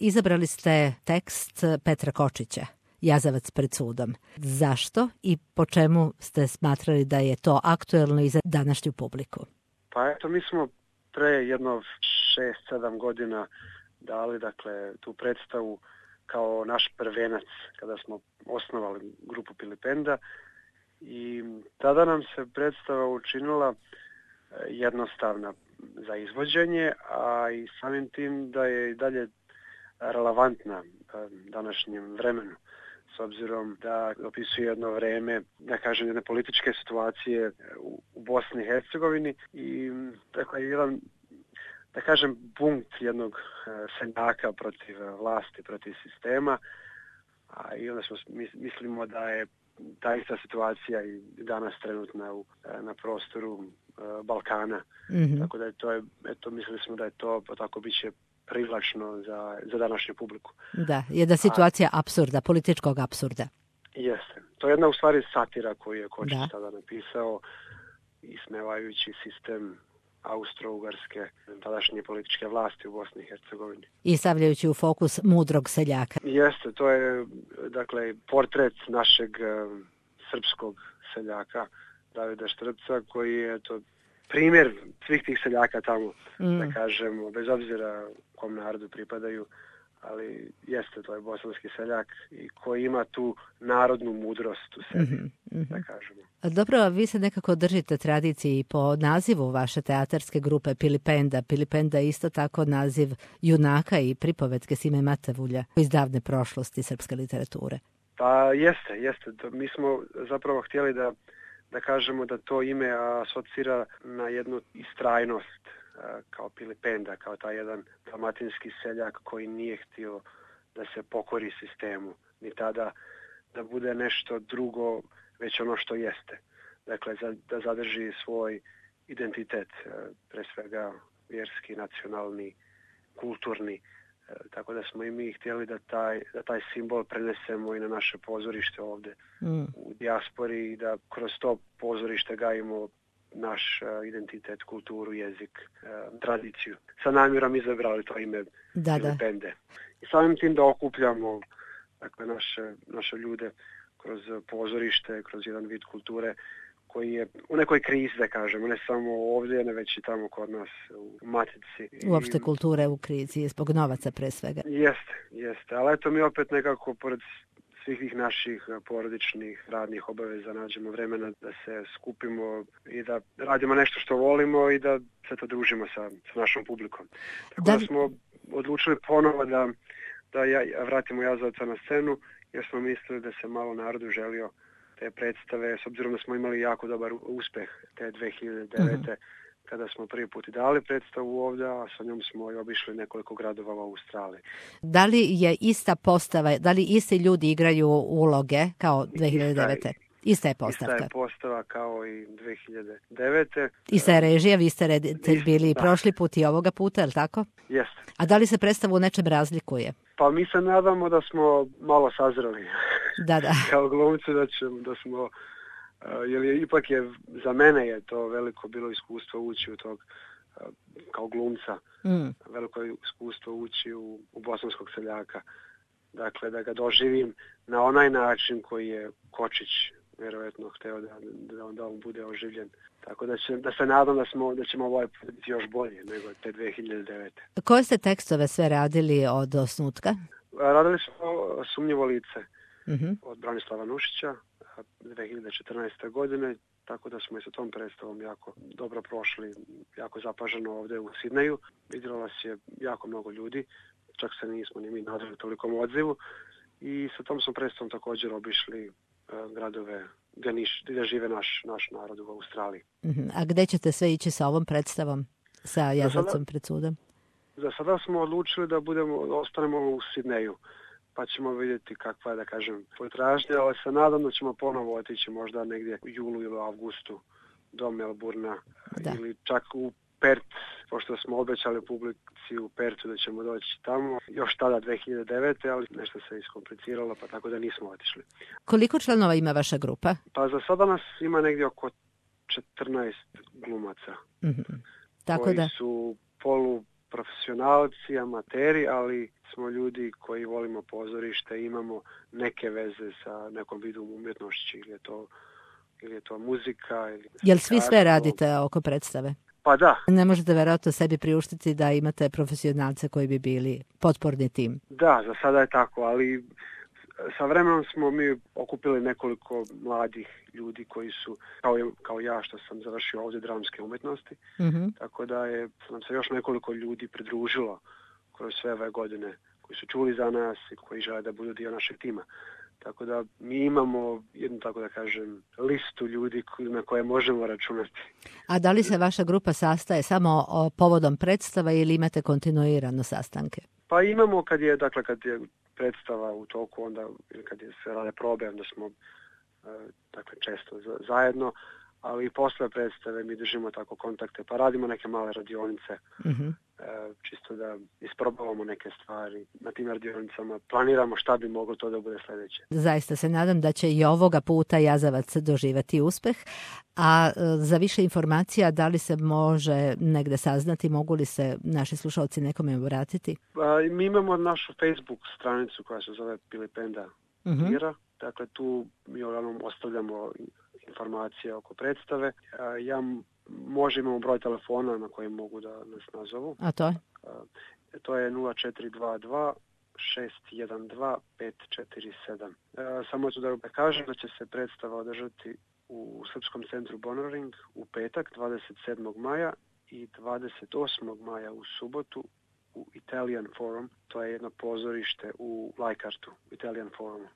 Izabrali ste tekst Petra Kočića, Jazavac pred sudom. Zašto i po čemu ste smatrali da je to aktuelno i za današnju publiku? Pa eto, mi smo pre jedno 6-7 godina dali tu predstavu kao naš prvenac kada smo osnovali grupu Pilipenda i tada nam se predstava učinila jednostavna za izvođenje, a i samim tim da je i dalje relevantna današnjem vremenu, s obzirom da opisuje jedno vreme, da kažem, jedne političke situacije u Bosni i Hercegovini i jedan, da kažem, bunt jednog seljaka protiv vlasti, protiv sistema, a i onda mislimo da je ta ista situacija i danas trenutna na prostoru Balkana. Mm-hmm. Tako da mislili smo da je to tako biće privlačno za današnju publiku. Da, jedna situacija apsurda, političkog apsurda. Jeste. To je jedna u stvari satira koju je Kočić tada napisao, ismevajući sistem Austro-Ugarske tadašnje političke vlasti u Bosni i Hercegovini. I stavljajući u fokus mudrog seljaka. Jeste, to je portret našeg srpskog seljaka Davida Štrpca, koji je primjer svih tih seljaka tamo, da kažemo, bez obzira kom narodu pripadaju, ali jeste, to je bosanski seljak i koji ima tu narodnu mudrost u sebi, da kažemo. Dobro, vi se nekako držite tradiciji po nazivu vaše teatarske grupe Pilipenda. Pilipenda je isto tako naziv junaka i pripovetke Sime Matavulja iz davne prošlosti srpske literature. Pa jeste. Mi smo zapravo htjeli da kažemo da to ime asocira na jednu istrajnost kao Pilipenda, kao taj jedan dalmatinski seljak koji nije htio da se pokori sistemu, ni tada da bude nešto drugo, već ono što jeste. Dakle, da zadrži svoj identitet, pre svega vjerski, nacionalni, kulturni. Tako da smo i mi htjeli da taj simbol prenesemo i na naše pozorište ovdje u dijaspori i da kroz to pozorište gajimo naš identitet, kulturu, jezik, tradiciju. Sa namjerom izabrali to ime Pilipende. I samim tim da okupljamo naše ljude kroz pozorište, kroz jedan vid kulture koji je u nekoj krizi, da kažemo, ne samo ovdje, ne već i tamo kod nas u Matici. Uopšte kulture u krizi, zbog novaca pre svega. Jeste, ali eto mi opet nekako pored svih tih naših porodičnih radnih obaveza nađemo vremena da se skupimo i da radimo nešto što volimo i da se to družimo sa našom publikom. Tako da smo odlučili ponovo da vratimo Jazavca na scenu, jer smo mislili da se malo narodu želio te predstave, s obzirom da smo imali jako dobar uspeh te 2009. Kada smo prvi put i dali predstavu ovdje, a sa njom smo i obišli nekoliko gradova u Australiji. Da li je ista postava, da li isti ljudi igraju uloge kao 2009. Ista je postavka. Ista je postava kao i 2009. Ista je režija, vi ste reditelj bili prošli put i ovoga puta, je li tako? Jeste. A da li se predstava u nečem razlikuje? Pa mi se nadamo da smo malo sazreli. Da. Kao glumci da smo, jer ipak za mene je to veliko bilo iskustvo ući u tog kao glumca. Veliko iskustvo ući u bosanskog seljaka. Dakle, da ga doživim na onaj način koji je Kočić vjerojatno hteo da on bude oživljen. Tako da se nadam da ćemo ovaj put biti još bolje nego te 2009. Koje ste tekstove sve radili od osnutka? Radili smo Sumnjivo lice od Branislava Nušića 2014. godine, tako da smo i sa tom predstavom jako dobro prošli, jako zapaženo ovdje u Sidneju. Vidjelo nas je jako mnogo ljudi, čak se nismo ni mi nadali tolikom odzivu i sa tom smo predstavom također obišli gradove gdje žive naš narod u Australiji. A gdje ćete sve ići sa ovom predstavom, sa Jazavcem pred sudom? Za sada smo odlučili da ostanemo u Sidneju, pa ćemo vidjeti kakva je, da kažem, potražnja, ali se nadam da ćemo ponovo otići možda negdje u julu ili avgustu do Melburna ili čak u Pert, pošto smo obećali publici u Pertu da ćemo doći tamo, još tada 2009. ali nešto se iskompliciralo, pa tako da nismo otišli. Koliko članova ima vaša grupa? Pa za sada nas ima negdje oko 14 glumaca, tako koji su profesionalci, amateri, ali smo ljudi koji volimo pozorište, imamo neke veze sa nekom vidom umjetnošću, ili je to muzika. Jel svi sve radite oko predstave? Pa da. Ne možete vjerojatno sebi priuštiti da imate profesionalce koji bi bili potporni tim? Da, za sada je tako, ali sa vremenom smo mi okupili nekoliko mladih ljudi koji su, kao ja što sam završio ovdje dramske umjetnosti, tako da nam se još nekoliko ljudi pridružilo kroz sve ove godine koji su čuli za nas i koji žele da budu dio našeg tima. Tako da mi imamo jednu, tako da kažem, listu ljudi na koje možemo računati. A da li se vaša grupa sastaje samo povodom predstava ili imate kontinuirano sastanke? Pa imamo kad je predstava u toku, onda ili kad se rade probe, onda smo često zajedno, ali i posle predstave mi držimo tako kontakte, pa radimo neke male radionice, čisto da isprobavamo neke stvari. Na tim radionicama planiramo šta bi moglo to da bude sljedeće. Zaista se nadam da će i ovoga puta Jazavac doživjeti uspeh, a za više informacija da li se može negde saznati, mogu li se naši slušalci nekome obratiti? Mi imamo našu Facebook stranicu koja se zove Pilipenda Mira, dakle tu mi ostavljamo informacije oko predstave. Imamo broj telefona na kojem mogu da nas nazovu. A to je? To je 0422 612 547. Samo ću da kažem da će se predstava održati u Srpskom centru Bonoring u petak 27. maja i 28. maja u subotu u Italian Forum. To je jedno pozorište u Lajkartu, Italian Forum.